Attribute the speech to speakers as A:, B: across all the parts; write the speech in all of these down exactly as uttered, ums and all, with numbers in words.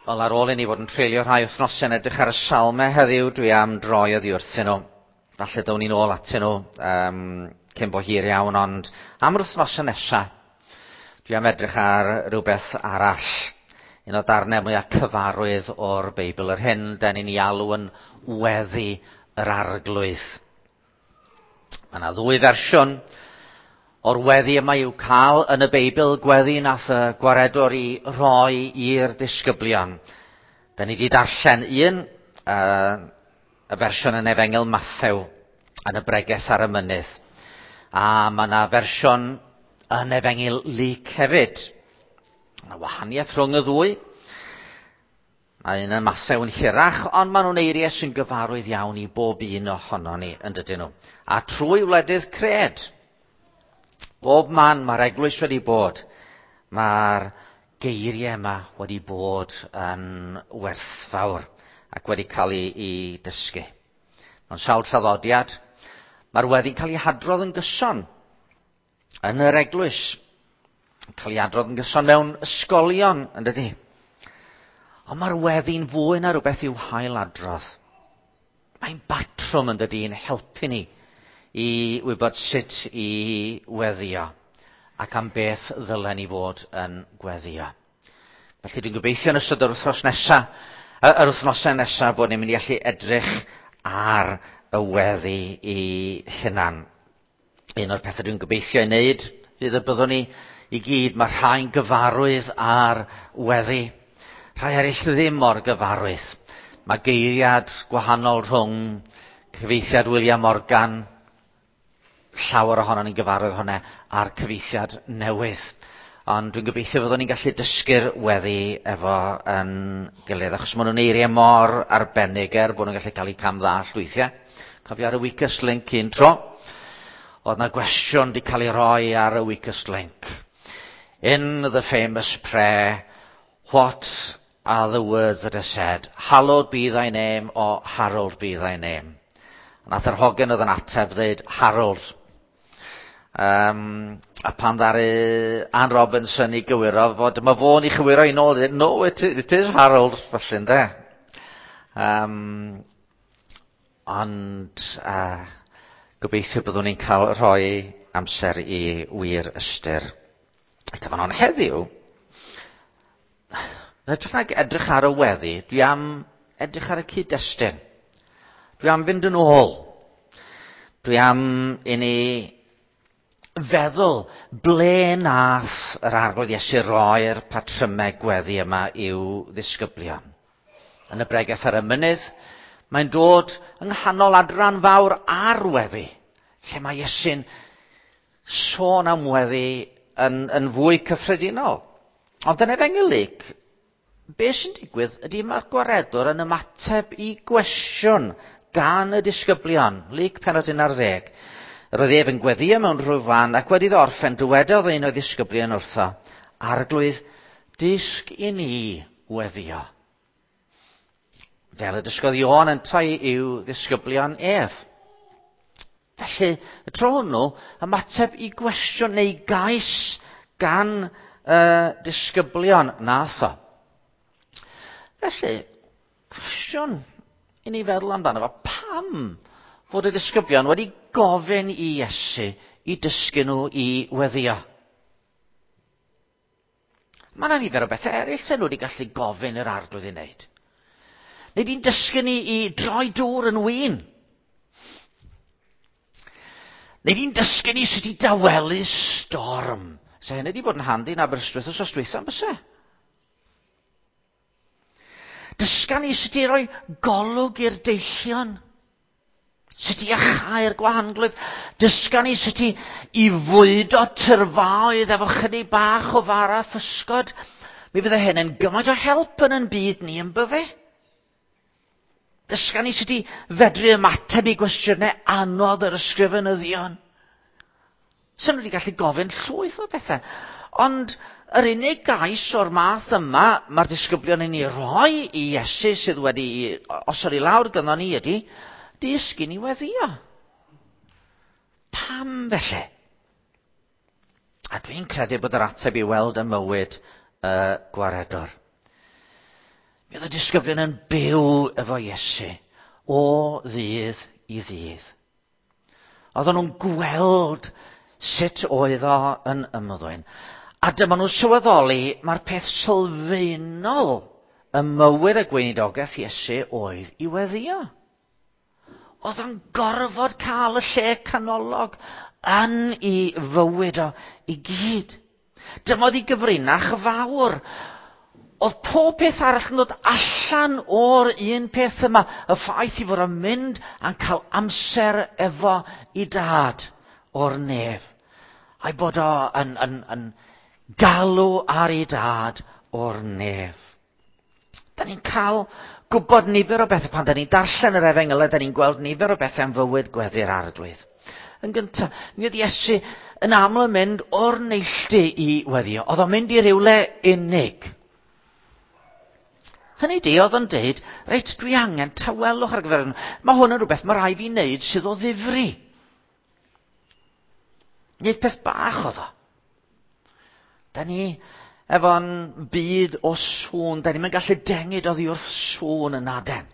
A: Wel, ar ôl i ni fod yn treulio rhai wythnosau yn edrych ar y salmau heddiw, dwi am droi oddi wrthyn nhw. Falle down ni'n ôl atyn nhw um, cyn bo hir iawn, ond am yr wythnosau nesaf, dwi am edrych ar rhywbeth arall. Un o darnau mwyaf cyfarwydd o'r Beibl, yr hyn den ni'n ei alw yn weddi yr Arglwydd. Mae yna ddwy fersiwn o'r weddi yma i'w cael yn y Beibl, gweddi nath y gwaredwr i roi i'r disgyblion. Da ni wedi darllen un, uh, y fersiwn yn Efengyl Mathew, yn y bregeth ar y mynydd. A mae yna fersiwn yn Efengyl Luc hefyd. Mae yna wahaniaeth rhwng y ddwy. Mae un yn Mathew yn hirach, ond maen nhw'n eiriau sy'n gyfarwydd iawn i bob un ohono ni, yn dydyn nhw. A trwy wledydd cred, bob man mae'r eglwys wedi bod, mae'r geiriau yma wedi bod yn werthfawr ac wedi cael ei, ei dysgu. Mewn sawl traddodiad, mae'r weddi'n cael ei hadrodd yn gyson yn yr eglwys. Cael ei adrodd yn gyson mewn ysgolion, yn dydy. Ond mae'r weddi'n fwy na rhywbeth i'w hailadrodd. Mae'n batrwm, yn dydy, yn helpu ni i wybod sut i weddio ac am beth ddylen ni fod yn gweddio. Felly dwi'n gobeithio yn ystod yr wythnos nesaf, yr wythnosau nesaf, bod ni'n mynd i allu edrych ar y weddi i hunan. Un o'r pethau dwi'n gobeithio ei wneud fydd y byddwn ni i gyd, mae rhai'n gyfarwydd ar weddi, rhai eraill ddim mor gyfarwydd. Mae geiriad gwahanol rhwng cyfieithiad William Morgan, llawer ohono ni'n gyfarwydd hwnna, a'r cyfieithiad newydd. Ond dwi'n gobeithio fyddwn ni'n gallu dysgu'r weddi efo yn gilydd, achos maen nhw'n eiriau mor arbennig er bod nhw'n gallu cael eu cam ddallt weithiau. Cofio ar y Weakest Link un tro, oedd na gwestiwn wedi cael ei roi ar y Weakest Link. "In the famous prayer, what are the words that are said? Hallowed be thy name or Harold be thy name?" Nath yr hogyn oedd yn ateb dweud "Harold". Um, a pan ddaru Anne Robinson i gywiro fod, dyma fo'n i chywiro i nôl, "No, it, it is Harold", felly ynde. Um, ond uh, gobeithio byddwn ni'n cael rhoi amser i wir ystyr. Y cyfan ond heddiw, yn hytrach nag edrych ar y weddi, dwi am edrych ar y cyd-destun. Dwi am fynd yn ôl. Dwi am i ni feddwl ble nath yr Arglwydd Iesu roi'r patrymau gweddi yma i'w ddisgyblion. Yn y bregeth ar y mynydd, mae'n dod yng nghanol adran fawr ar weddi, lle mae Iesu'n sôn am weddi yn, yn fwy cyffredinol. Ond yn Efengyl Luc, be sy'n digwydd ydy mae'r gwaredwr yn ymateb i gwestiwn gan y disgyblion. Luc penod un ar ddeg. Yr oedd ef yn gweddio mewn rhyw fan, ac wedi iddo orffen, dywedodd un o'i ddisgyblion wrtho, "Arglwydd, dysg i ni weddio, fel y dysgodd Ioan yntau i'w ddisgyblion ef." Felly, y tro hwnnw, ymateb i gwestiwn neu gais gan y uh, disgyblion nath o. Felly, cwestiwn i ni feddwl amdano fo, pam fod y disgyblion wedi gofyn i Iesu i dysgu nhw i weddio? Mae yna nifer o bethau eraill sy'n nhw wedi gallu gofyn i'r Arglwydd i wneud. Neu di'n dysgu ni i droi dŵr yn win. Neu di'n dysgu ni sut i dawelu storm. Se hynny wedi bod yn handi yn Aberystwyth wsos dwytha, byse? Dysga ni sut i roi golwg i'r deillion. Sut i iachau'r gwahanglwyf. Dysga ni sut i, i fwydo tyrfaoedd efo chydig bach o fara physgod. Mi fydde hyn yn gymaint o help yn yn byd ni, yn bydde? Dysga ni sut i fedru ymateb i gwestiynau anodd yr ysgrifenyddion. Sy'n nhw wedi gallu gofyn llwyth o bethau. Ond yr unig gais o'r math yma mae'r disgyblion yn ei roi i Iesu sydd wedi osod i lawr gynno ni ydy, "Dysg i ni weddio." Pam felly? A dwi'n credu bod yr ateb i weld y mywyd y gwaredwr. Mi oedd y disgyblion yn byw efo Iesu o ddydd i ddydd. Oedden nhw'n gweld sut oedd o yn ymddwyn. A dyma nhw'n sylweddoli mae'r peth sylfaenol ym mywyd y gweinidogaeth Iesu oedd i weddïo. Oedd o'n gorfod cael y lle canolog yn ei fywyd o i gyd. Dyma oedd ei gyfrinach fawr. Oedd pob peth arall yn dod allan o'r un peth yma, y ffaith i fod yn mynd a'n cael amser efo i dad o'r nef. A'i bod o yn, yn, yn galw ar ei dad o'r nef. Da ni'n cael gwybod nifer o bethau pan da ni'n darllen yr efengylau, da ni'n gweld nifer o bethau am fywyd gweddi'r Arglwydd. Yn gyntaf, mi oedd Iesu yn aml yn mynd o'r neilltu i weddio. Oedd o'n mynd i rywle unig. Hynny di, oedd o'n deud, reit, dwi angen tawelwch ar gyfer hwn. Mae hwn yn rhywbeth mae rhaid fi wneud sydd o ddifri. Nid peth bach oedd o. Da ni efo'n byd o sŵn, da ni'n gallu dengid oddi wrth sŵn yn aden.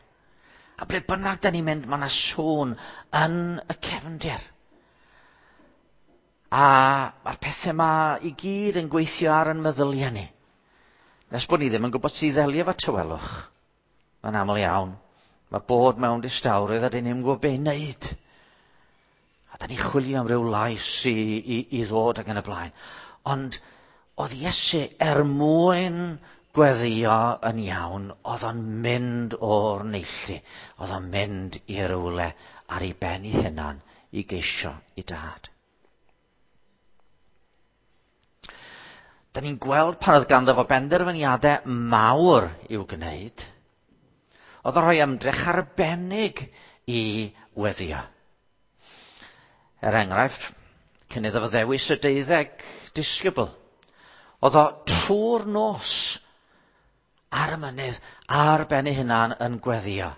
A: A ble bynnag da ni'n mynd, mae yna sŵn yn y cefndir. A mae'r pethau yma i gyd yn gweithio ar yn meddyliau ni. Nes bod ni ddim yn gwybod sydd ddelio efo tawelwch. Mae'n aml iawn. Mae bod mewn distawrwydd a dyn ni'n gwybod be i wneud. A da ni'n chwilio am ryw lais i, i, i ddod ac yn y blaen. Ond oedd Iesu er mwyn gweddio yn iawn, oedd o'n mynd o'r neilltu. Oedd o'n mynd i rywle ar ei ben ei hunan i geisio i dad. Da ni'n gweld pan oedd ganddo fo benderfyniadau mawr i'w gwneud. Oedd o'n rhoi ymdrech arbennig i weddio. Er enghraifft, cyn iddo fo ddewis y deuddeg disgybl, oedd o trwy'r nos ar y mynydd, ar ben ei hunan yn gweddio.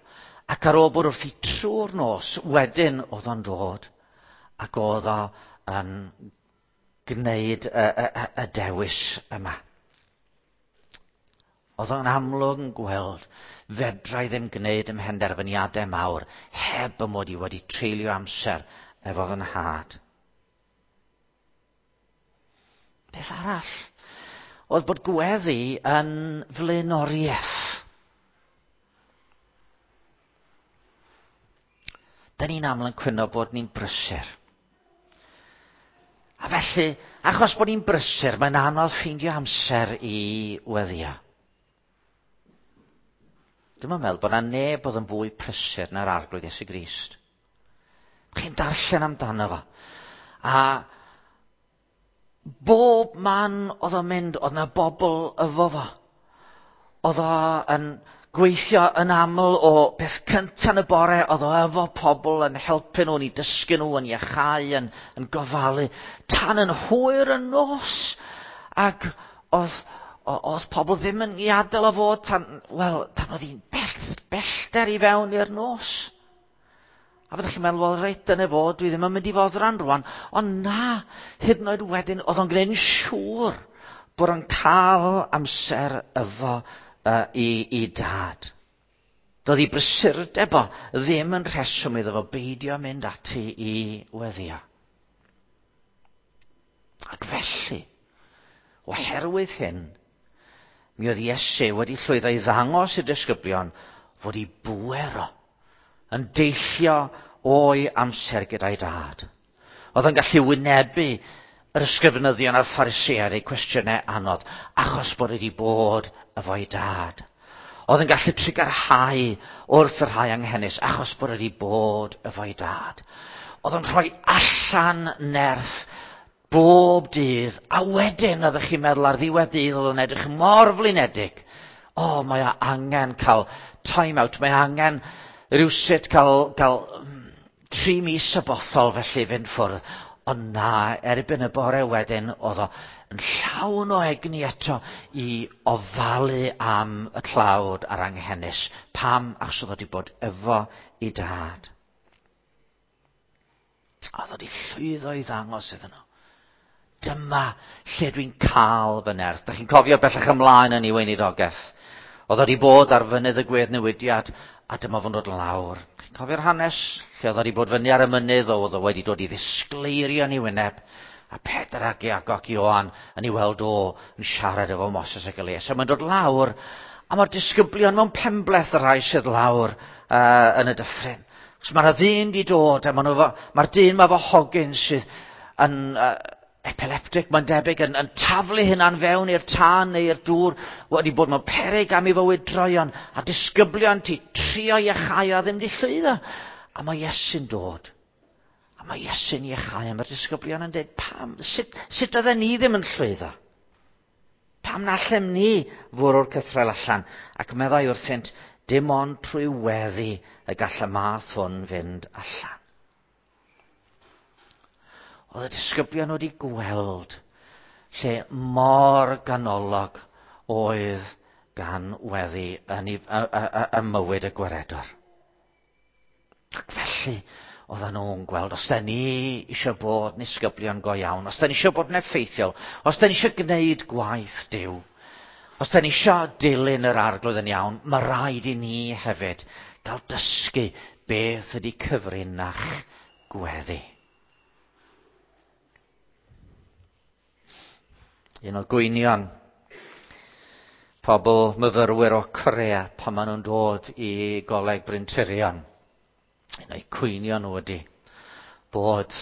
A: Ac ar ôl bod wrthi trwy'r nos, wedyn oedd o'n dod ac oedd o yn gwneud y, y, y, y dewis yma. Oedd o'n amlwg yn gweld fedra i ddim gwneud ym mhenderfyniadau mawr heb y mod i wedi treulio amser efo fy nhad. Beth arall oedd bod gweddi yn flaenoriaeth. Da ni'n aml yn cwyno bod ni'n brysur. A felly, achos bod ni'n brysur, mae'n anodd ffeindio amser i weddio. Dwi'n meddwl bod yna neb oedd yn fwy prysur na'r Arglwydd Iesu Grist. Chi'n darllen amdano fo. A bob man oedd o'n mynd, oedd yna bobl efo fo. Oedd o yn gweithio yn aml o beth cyntaf yn y bore, oedd o efo pobl yn helpu nhw, yn eu dysgu nhw, yn iachau, yn, yn gofalu, tan yn hwyr y nos. Ac oedd, oedd pobl ddim yn ei adael o fod tan, wel, tan oedd hi'n bell, bellter i fewn i'r nos. A fyddwch chi'n meddwl, wel, reit, dyna fo, dwi ddim yn mynd i foddran rwan. Ond na, hyd yn oed wedyn, oedd o'n gwneud yn siŵr bod o'n cael amser efo uh, i, i dad. Doedd ei brysurdeb o ddim yn rheswm iddo fo beidio mynd ati i weddio. Ac felly, oherwydd hyn, mi oedd Iesu wedi llwyddo i ddangos i'r disgyblion fod ei bŵer o yn deillio o'i amser gyda'i dad. Oedd yn gallu wynebu yr ysgrifenyddion a'r Phariseaid eu cwestiynau anodd, achos bod wedi bod efo'i dad. Oedd yn gallu trugarhau wrth y rhai anghenus, achos bod wedi bod efo'i dad. Oedd yn rhoi allan nerth bob dydd, a wedyn oeddech chi'n meddwl ar ddiwedd dydd oedd yn edrych mor flinedig. O, mae o angen cael time out, mae angen rhywsut cael, cael tri mis y bothol felly fynd ffwrdd. Ond na, erbyn y bore wedyn, oedd o yn llawn o egni eto i ofalu am y tlawd a'r anghenus. Pam? Achos oedd o wedi bod efo i dad. Oedd o wedi llwyddo i ddangos iddyn nhw. Dyma lle dwi'n cael fy nerth. Da chi'n cofio bellach ymlaen yn ei weinidogaeth. Oedd o wedi bod ar fynydd y gweddnewidiad, a dyma fo'n dod lawr. Chi'n cofio'r hanes? Lle oedd o wedi bod fyny ar y mynydd, oedd o wedi dod i ddisgleirio yn ei wyneb. A Pedr ac Iago ac Ioan yn ei weld o yn siarad efo Moses ac Elias. A mae'n dod lawr, a mae'r disgyblion mewn penbleth y rhai sydd lawr uh, yn y dyffryn. Chos mae'r ddyn di dod, a mae'r dyn mae fo hogyn sydd yn uh, epileptic, mae'n debyg, yn, yn taflu hynna'n fewn i'r tân neu i'r dŵr, wedi bod mewn peryg am ei fywyd droion, a disgyblion ti trio iachau a ddim di llwyddo. A mae Iesu'n dod. A mae Iesu'n iachau, a mae'r disgyblion yn dweud, pam, sut, sut oedden ni ddim yn llwyddo? Pam na allem ni fwrw'r cythrel allan? Ac meddai wrthynt, dim ond trwy weddi y gall y math hwn fynd allan. Oedd y disgyblion wedi gweld lle mor ganolog oedd gan weddi yn, y, y, y, y mywyd y gwaredwr. Ac felly, oedden nhw'n gweld, os da ni eisiau bod yn disgyblion go iawn, os da ni eisiau bod yn effeithiol, os da ni eisiau gwneud gwaith Duw, os da ni eisiau dilyn yr arglwydd yn iawn, mae rhaid i ni hefyd gael dysgu beth ydy cyfrinach gweddi. Un o gwynion pobl myfyrwyr o Corea pan maen nhw'n dod i Goleg Bryntirion. Un o'i cwynion nhw ydy bod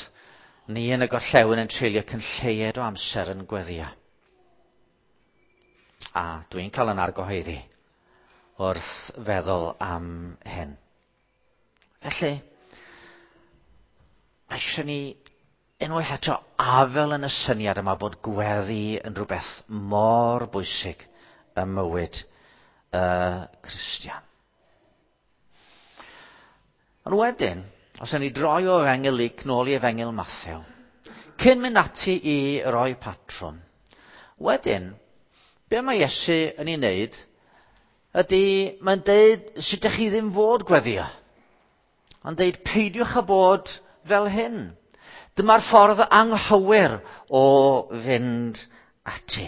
A: ni yn y gorllewin yn treulio cyn lleied o amser yn gweddio. A dwi'n cael yn argyhoeddi wrth feddwl am hyn. Felly, mae eisiau ni unwaith eto afel yn y syniad yma bod gweddi yn rhywbeth mor bwysig ym mywyd y Cristion. Ond wedyn, os ydyn ni droi o Efengyl Luc nôl i Efengyl Mathew, cyn mynd ati i roi patrwm, wedyn, be mae Iesu yn ei wneud ydy, mae'n deud sut ydych chi ddim fod gweddio. Mae'n deud peidiwch â bod fel hyn. Dyma'r ffordd anghywir o fynd ati.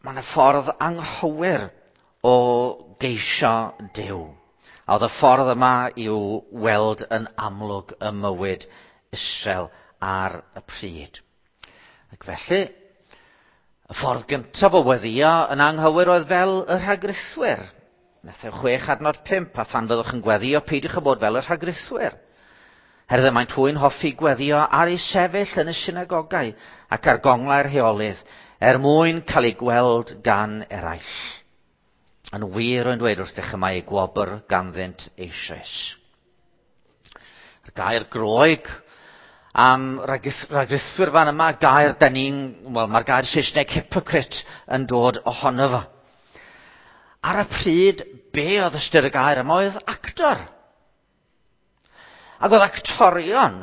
A: Mae yna ffordd anghywir o geisio Duw. A oedd y ffordd yma i'w weld yn amlwg ym mywyd Israel ar y pryd. Ac felly, y ffordd gyntaf o weddïo yn anghywir oedd fel y rhagrithwyr. Mathew chwech adnod pump, a phan fyddwch yn gweddio, peidiwch â bod fel y rhagrithwyr. Herwydd maent hwy'n hoffi gweddio ar eu sefyll yn y synagogau ac ar gonglau'r heolydd, er mwyn cael eu gweld gan eraill. Yn wir rwy'n dweud wrthych y mae eu gwobr ganddynt eisoes. Yr gair Groeg am rhagrithwyr fan yma, gair da ni'n, wel, mae'r gair Saesneg hypocrite yn dod ohono fo. Ar y pryd, be oedd ystyr y gair yma oedd actor. Ac oedd actorion,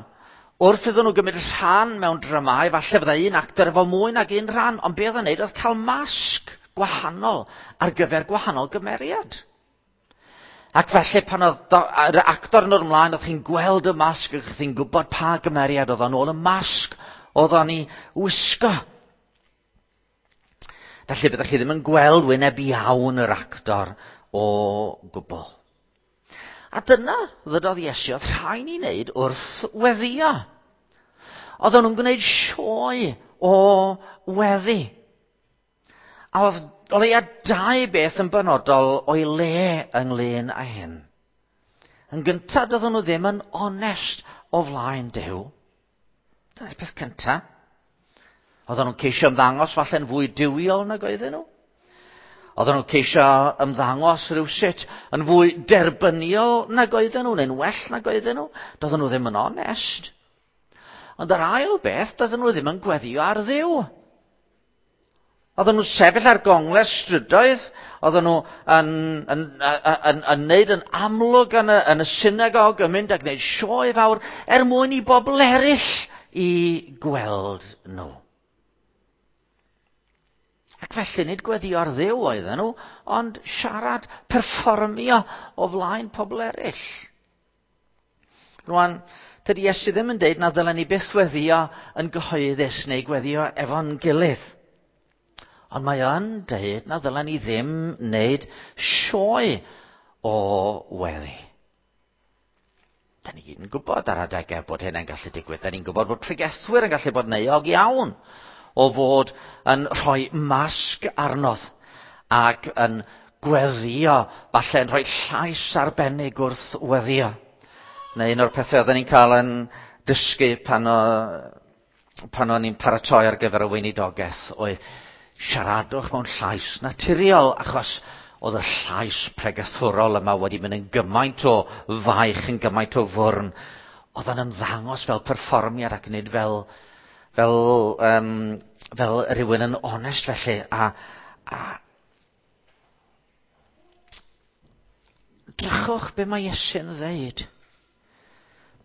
A: wrth iddyn nhw gymryd rhan mewn dramau, falle fyddai un actor efo mwy nag un rhan, ond be oedd yn neud oedd cael masg gwahanol ar gyfer gwahanol gymeriad. Ac felly pan oedd yr actor yn dod ymlaen, oedd chi'n gweld y masg, oedd chi'n gwybod pa gymeriad oedd o'n ôl y masg oedd o'n ei wisgo. Felly byddech chi ddim yn gweld wyneb iawn yr actor o gwbl. A dyna, ddydodd Iesu, oedd rhaid ni wneud wrth weddio. Oedden nhw'n gwneud sioe o weddi. A oedd o leia dau beth yn benodol o'i le ynglyn â hyn. Yn gyntaf, doedden nhw ddim yn onest o flaen Duw. Dyna'r peth cyntaf. Oedden nhw'n ceisio ymddangos falle'n fwy duwiol nag oedden nhw. Oedden nhw'n ceisio ymddangos rhywsut yn fwy derbyniol nag oedden nhw, neu'n well nag oedden nhw. Doedden nhw ddim yn onest. Ond yr ail beth, doedden nhw ddim yn gweddio ar Dduw. Oedden nhw'n sefyll ar gonglau'r strydoedd, oedden nhw yn, yn, yn, yn, yn neud yn amlwg yn y, yn y synagog, yn mynd a gwneud sioe fawr er mwyn i bobl eraill i gweld nhw. Ac felly nid gweddio ar Dduw oedden nhw, ond siarad, perfformio o flaen pobl eraill. Rwan, Tydi Iesu ddim yn deud na ddylen ni byth weddio yn gyhoeddus neu gweddio efo'n gilydd. Ond mae o'n deud na ddylen ni ddim wneud sioe o weddi. Da ni gyd yn gwybod ar adegau bod hynny'n gallu digwydd. Da ni'n gwybod bod pregethwyr yn gallu bod yn euog iawn o fod yn rhoi masg arnodd ac yn gweddio, falle yn rhoi llais arbennig wrth weddio. Neu un o'r pethau oedden ni'n cael yn dysgu pan, o, pan o'n i'n paratoi ar gyfer y weinidogaeth oedd siaradwch mewn llais naturiol, achos oedd y llais pregethwrol yma wedi mynd yn gymaint o faich, yn gymaint o fwrn. Oedd o'n ymddangos fel perfformiad ac nid fel, fel, um, fel rhywun yn onest felly. A, a drychwch be mae Iesu'n ddeud.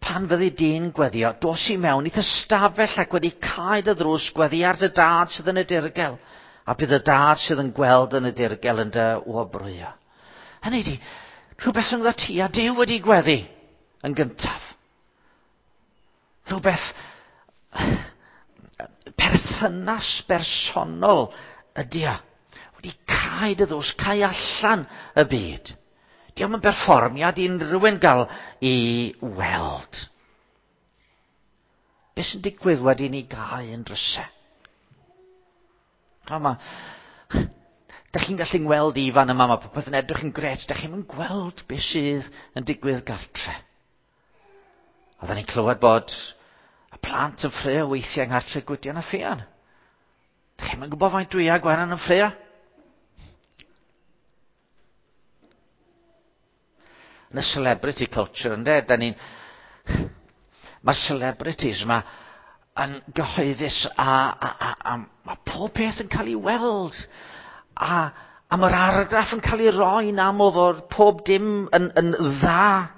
A: Pan fyddi di'n gweddio, dos i mewn i'th ystafell ac wedi cau dy ddrws, gweddi ar dy dad sydd yn y dirgel, a bydd y dad sydd yn gweld yn y dirgel yn dy wobrwyo. Hynny ydi, rhywbeth rhyngddo ti a Duw wedi gweddi yn gyntaf. Rhywbeth perthynas bersonol ydi o. Wedi cau dy ddrws, cau allan y byd. Dio'm yn berfformiad i unrhyw un gael i weld. Be sy'n digwydd wedi ni gau yn drysau? A ma, da chi'n gallu ngweld i fan yma, mae popeth yn edrych yn gret, da chi'n mynd gweld beth sydd yn digwydd gartre. Oedden ni'n clywed bod y plant yn ffraeo weithiau yng nghartre Gwydion a Ffion. Da chi'n mynd gwybod faint dwi a Gwenan yn ffraeo? Yn y celebrity culture, ynde? Da ni'n... Mae celebrities yma yn gyhoeddus a, a, a, a mae pob peth yn cael ei weld. A, a mae'r argraff yn cael ei roi'n aml fod pob dim yn, yn dda.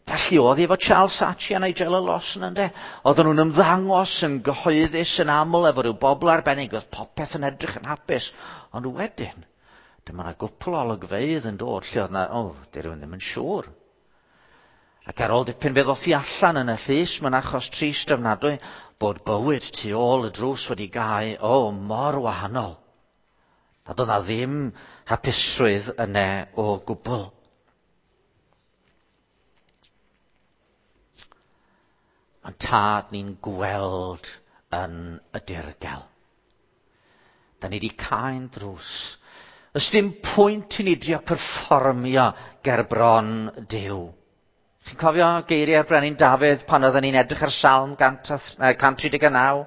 A: Felly oedd hi efo Charles Saatchi a Nigella Lawson, ynde? Oedden nhw'n ymddangos yn gyhoeddus yn aml efo rhyw bobl arbennig, oedd popeth yn edrych yn hapus. Ond wedyn, dyma yna gwpl o olygfeydd yn dod lle oedd yna, o, oh, di rhywun ddim yn siŵr. Ac ar ôl dipyn fe ddoth i allan yn y llys, mae'n achos trist ofnadwy, bod bywyd tu ôl y drws wedi gau, o, oh, mor wahanol. Nad oedd na ddim hapusrwydd yna o gwbl. Mae'n tad ni'n gweld yn y dirgel. Da ni wedi cau'n drws. Ys dim pwynt i ni drio perfformio ger bron Duw. Chi'n cofio geiriau'r Brenin Dafydd pan oedden ni'n edrych ar Salm cant tri deg naw?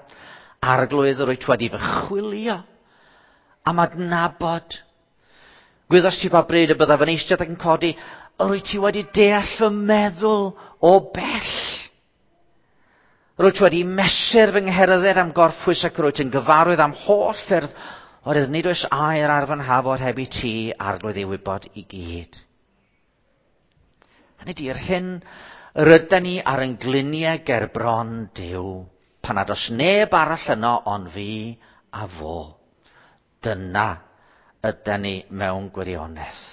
A: Arglwydd, yr wyt wedi fy chwilio am adnabod. Gwyddost ti pa bryd y byddaf yn eistedd ac yn codi, yr wyt ti wedi deall fy meddwl o bell. Yr wyt wedi mesur fy ngherdded am gorffwys ac yr wyt yn gyfarwydd am holl ffyrdd, oherwydd nid oes air ar fy nhafod heb i ti, Arglwydd, ei wybod i gyd. Hynny ydi, yr hyn rydyn ni ar ein gliniau ger bron Duw, pan nad oes neb arall yno ond fi a fo. Dyna ydyn ni mewn gwirionedd.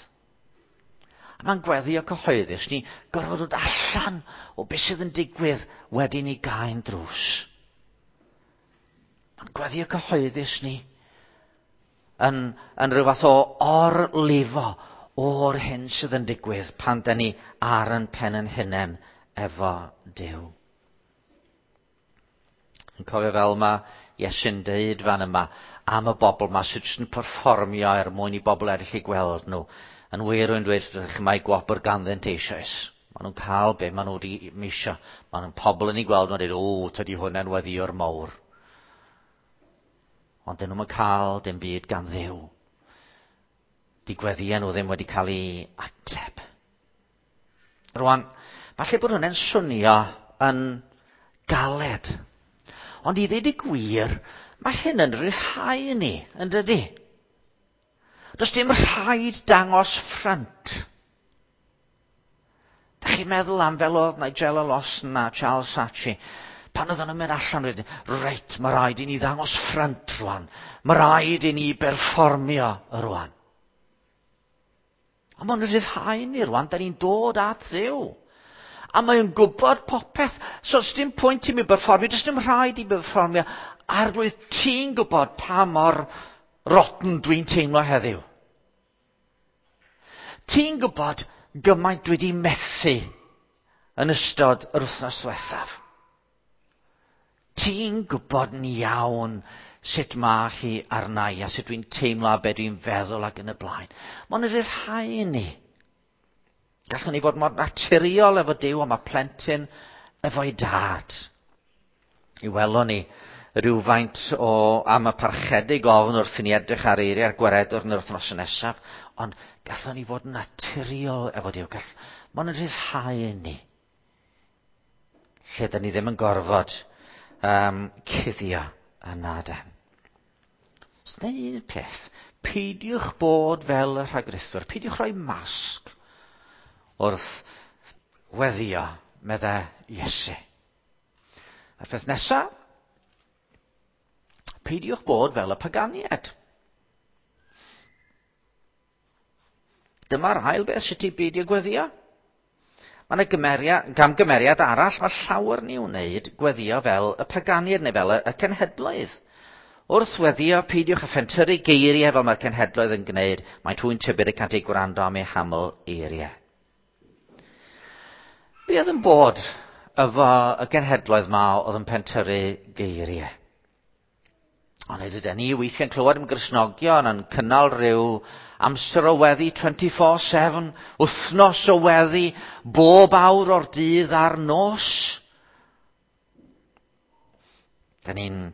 A: A mae'n gweddio cyhoeddus ni gorfod dod allan o beth sydd yn digwydd wedi ni gau'n drws. Mae'n gweddio cyhoeddus ni yn, yn rhyw fath o orlifo o'r hyn sydd yn digwydd pan da ni ar yn pen yn hunain efo Duw. Yn cofio fel mae Iesu'n deud fan yma am y bobl yma sydd jyst yn perfformio er mwyn i bobl eraill i gweld nhw. Yn wir rwy'n dweud wrthych chi, mae gwobr ganddynt eisoes. Maen nhw'n cael be maen nhw wedi misio. Maen nhw'n pobl yn ei gweld nhw'n dweud, o, tydi hwnna'n weddïwr mawr. Ond dyn nhw'n cael dim byd gan Dduw. Di gweddïau nhw ddim wedi cael ei ateb. Rwan, falle bod hwnna'n swnio yn galed. Ond i ddweud y gwir, mae hyn yn rhyddhau ni, yn dydi? Does dim rhaid dangos ffrynt. Da chi'n meddwl am fel oedd Nigella Lawson a Charles Saatchi, pan oedden nhw'n mynd allan, wedyn, reit, mae rhaid i ni ddangos ffrynt rwan. Mae rhaid i ni berfformio rwan. A mae'n rhyddhau ni rwan, da ni'n dod at Dduw. A mae'n gwybod popeth. So, dim pwynt i mi berfformio, does dim rhaid i mi berfformio. Arglwydd, ti'n gwybod pa mor rotten dwi'n teimlo heddiw. Ti'n gwybod gymaint dwi wedi methu yn ystod yr wythnos diwethaf. Ti'n gwybod yn iawn sut mae hi arna i a sut dwi'n teimlo a be dwi'n feddwl ac yn y blaen. Mae'n rhyddhau ni. Gallwn ni fod mor naturiol efo Duw, ond mae plentyn efo'i dad. I welon ni rhywfaint o am y parchedig ofn wrth i ni edrych ar eiriau'r gwaredwr yn yr wythnos nesaf, ond gallwn ni fod naturiol efo Duw. Gall, mae'n rhyddhau ni. Lle da ni ddim yn gorfod um, cuddio yna den. So dyna un peth, peidiwch bod fel y rhagrithwyr, peidiwch rhoi masg wrth weddio, medde Iesu. A'r peth nesaf, peidiwch bod fel y paganiad. Dyma'r ail beth sut i beidio gweddio. Mae yna gymeriad, gamgymeriad arall, mae llawer ni wneud gweddio fel y paganiad neu fel y, y cenhedloedd. Wrth weddio, peidiwch â phentyrru geiriau fel mae'r cenhedloedd yn gwneud, mae hwy'n tybed y cant eu gwrando am eu haml eiriau. Be oedd yn bod efo y genhedloedd ma oedd yn pentyrru geiriau? Ond ydyn ni weithiau'n clywed am Gristnogion yn cynnal rhyw amser o weddi twenty-four seven, wythnos o weddi, bob awr o'r dydd a'r nos. Da ni'n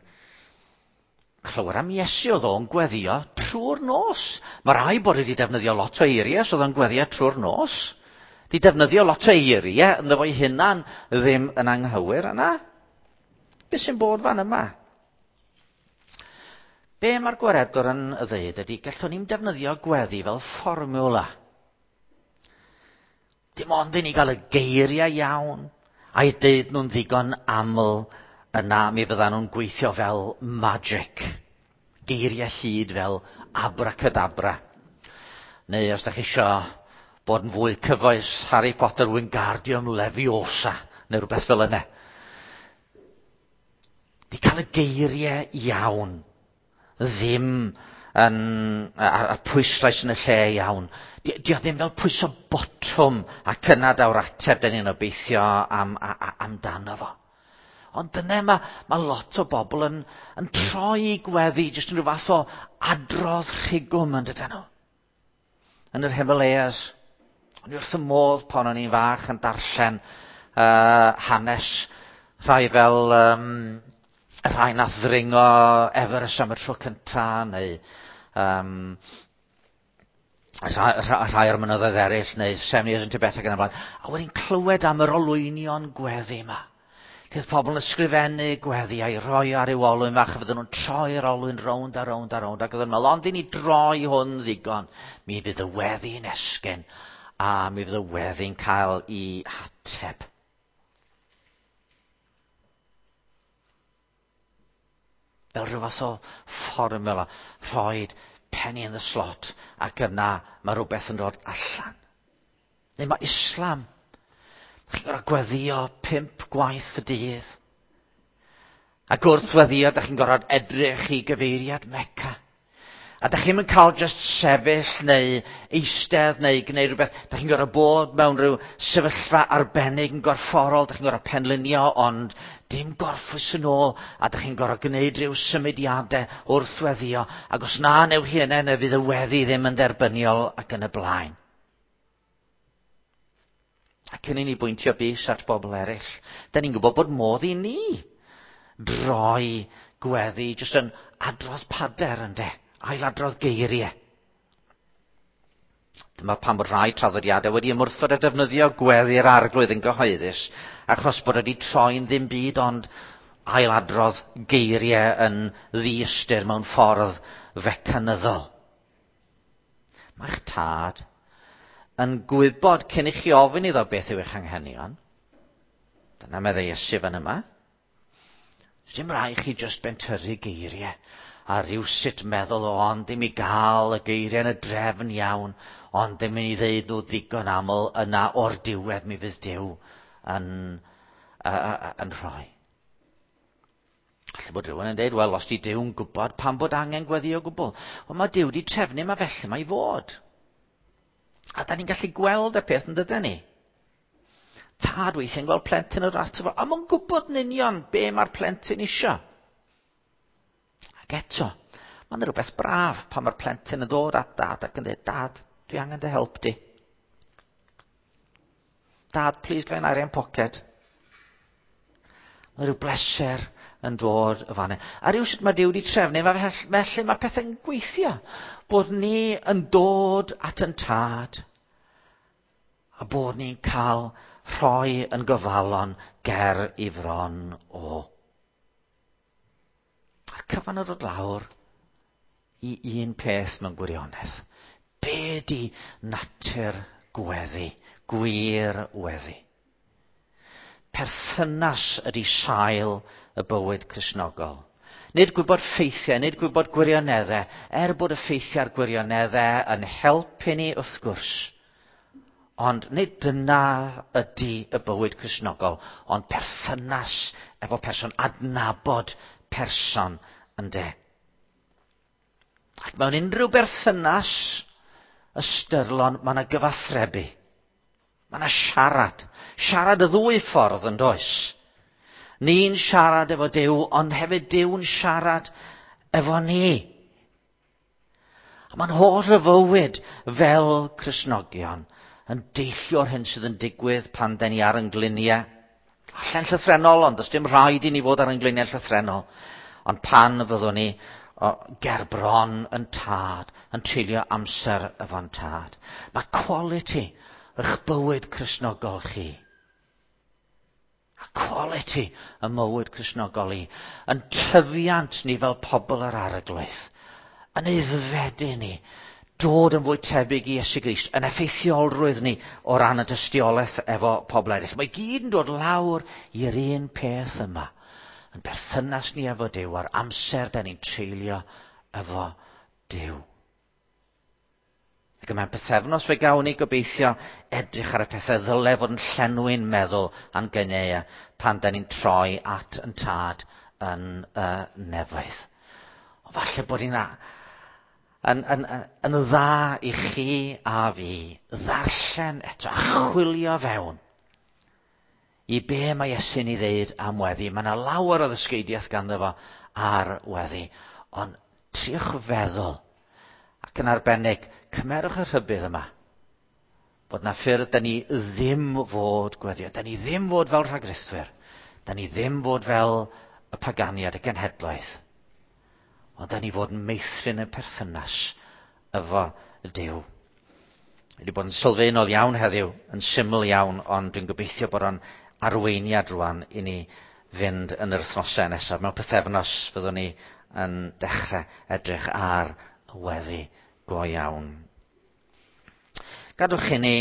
A: clywed am Iesu oedd o'n gweddio trwy'r nos. Mae rai bod wedi defnyddio lot o eiriau, so oedd o'n gweddio trwy'r nos. Di defnyddio lot o eiriau ynddo fo'i hunan ddim yn anghywir yna. Be sy'n bod fan yma? Be mae'r gwaredwr yn ddeud ydy, gallwn ni'n defnyddio gweddi fel fformiwla. Dim ond i ni gael y geiriau iawn, a'i deud nhw'n ddigon aml, yna mi fyddan nhw'n gweithio fel magic. Geiriau hyd fel abracadabra. Neu os da chi isio bod yn fwy cyfoes, Harry Potter Wingardium Leviosa, neu rhywbeth fel yna. Di cael y geiriau iawn, ddim yn, a'r pwyslais yn y lle iawn. Di, di o ddim fel pwyso botwm ac yna daw'r ateb dyn ni'n obeithio am, a, a, amdano fo. Ond dyna mae, mae lot o bobl yn, yn troi gweddi, jyst yn rhyw fath o adrodd rhigwm yn dydyn nhw. Yn yr Himalayas, o'n i wrth y modd pan o'n i'n fach yn darllen uh, hanes rhai fel um, rhai nath ddringo Everest am y tro cynta, neu um, rhai, rhai o'r mynyddoedd eraill, neu Seven Years in Tibet ac yn y blaen. A wedyn clywed am yr olwynion gweddi yma. Bydd pobl yn ysgrifennu gweddi a'i roi ar i'w olwyn fach, a fydden nhw'n troi'r olwyn rownd a rownd a rownd, ac oedden nhw'n meddwl, ond i ni droi hwn ddigon, mi fydd y weddi'n esgyn, a mi fydd y weddi'n cael ei hateb. Fel rhyw fath o fformula, rhoid penny in the slot, ac yna mae rhywbeth yn dod allan. Neu mae Islam. Chi'n gorfod gweddio pump gwaith y dydd. Ac wrth weddio, da chi'n gorfod edrych i gyfeiriad Mecca. A da chi'n cael just sefyll neu eistedd neu gwneud rhywbeth. Da chi'n gorfod bod mewn rhyw sefyllfa arbennig yn gorfforol. Da chi'n gorfod penlinio, ond dim gorffwys yn ôl. A da chi'n gorfod gwneud rhyw symudiadau wrth weddio. Ac os na newch chi yna, neu fydd y weddi ddim yn dderbyniol ac yn y blaen. A cyn i ni bwyntio bys at bobl eraill, da ni'n gwybod bod modd i ni droi gweddi jyst yn adrodd pader ynde, ailadrodd geiriau. Dyma pam bod rhai traddodiadau wedi ymwrthod a defnyddio gweddi'r arglwydd yn gyhoeddus, achos bod wedi troi'n ddim byd ond ailadrodd geiriau yn ddiystyr mewn ffordd fecanyddol. Mae'ch tad yn gwybod cyn i chi ofyn iddo beth yw eich anghenion. Dyna meddai Iesu fan yma. Dim rhaid chi jyst bentyrru geiriau a rhywsut meddwl o ond ddim i gael y geiriau yn y drefn iawn, ond ddim i ddeud nhw ddigon aml yna o'r diwedd mi fydd Duw yn, uh, yn rhoi. Alla bod rhywun yn dweud, wel, os di Duw'n gwybod pam bod angen gweddi o gwbl. Wel, mae Duw di trefnu, mae felly mae i fod. A da ni'n gallu gweld y peth yn dydyn ni. Tad weithiau'n gweld plentyn o'r ato fo, a mae'n gwybod yn union be mae'r plentyn isio. Ac eto, mae'n rhywbeth braf pan mae'r plentyn yn dod at dad ac yn dweud, Dad, dwi angen dy help di. Dad, please gael arian poced. Mae rhyw bleser yn dod y fan. A rhyw sut mae Duw wedi trefnu, felly mae pethau'n gweithio. Bod ni yn dod at yn tad, a bod ni'n cael rhoi yn gyfalon ger i fron o. A'r cyfan yn dod lawr i un peth mewn gwirionedd. Be di natur gweddi, gwir weddi? Perthynas ydy sail y bywyd Cristnogol. Nid gwybod ffeithiau, nid gwybod gwirioneddau, er bod y ffeithiau a'r gwirioneddau yn helpu ni wrth gwrs. Ond nid dyna ydy y bywyd Cristnogol, ond perthynas efo person, adnabod person ynde. Ac mewn unrhyw berthynas ystyrlon, mae yna gyfathrebu. Mae yna siarad. Siarad y ddwy ffordd yn does. Ni'n siarad efo Duw, ond hefyd Duw'n siarad efo ni. A mae'n holl y fywyd fel Cristnogion yn deillio o'r hyn sydd yn digwydd pan den ni ar yn gliniau. Allan llythrennol, ond does dim rhaid i ni fod ar yn gliniau llythrennol. Ond pan fyddwn ni o, ger bron yn tad, yn treulio amser efo'n tad. Mae quality eich bywyd Cristnogol chi. A quality y mywyd Cristnogol i. Yn tyfiant ni fel pobl yr Arglwydd. Yn aeddfedu ni. Dod yn fwy tebyg i Iesu Grist. Yn effeithiolrwydd ni o ran y dystiolaeth efo pobl eraill. Mae gyd yn dod lawr i'r un peth yma. Yn berthynas ni efo Duw a'r amser da ni'n treulio efo Duw. Ac mewn pythefnos fe gawn ni gobeithio edrych ar y pethau ddyle fod yn llenwi'n meddwl a'n gynnau pan da ni'n troi at yn tad yn y nefoedd. Ond falle bod hi'n yn, yn, yn, yn dda i chi a fi ddarllen eto a chwilio fewn i be mae Iesu'n ei ddeud am weddi. Mae yna lawer o ddysgeidiaeth ganddo fo ar weddi. Ond triwch feddwl, ac yn arbennig, cymerwch y rhybudd yma, bod na ffyrdd da ni ddim fod gweddio. Da ni ddim fod fel rhagrithwyr. Da ni ddim fod fel y paganiad, y genhedloedd. Ond da ni fod yn meithrin y perthynas efo Duw. Wedi bod yn sylfaenol iawn heddiw, yn syml iawn, ond dwi'n gobeithio bod o'n arweiniad rwan i ni fynd yn yr wythnosau nesaf. Mewn pythefnos fyddwn ni yn dechrau edrych ar y weddi go iawn. Gadwch i ni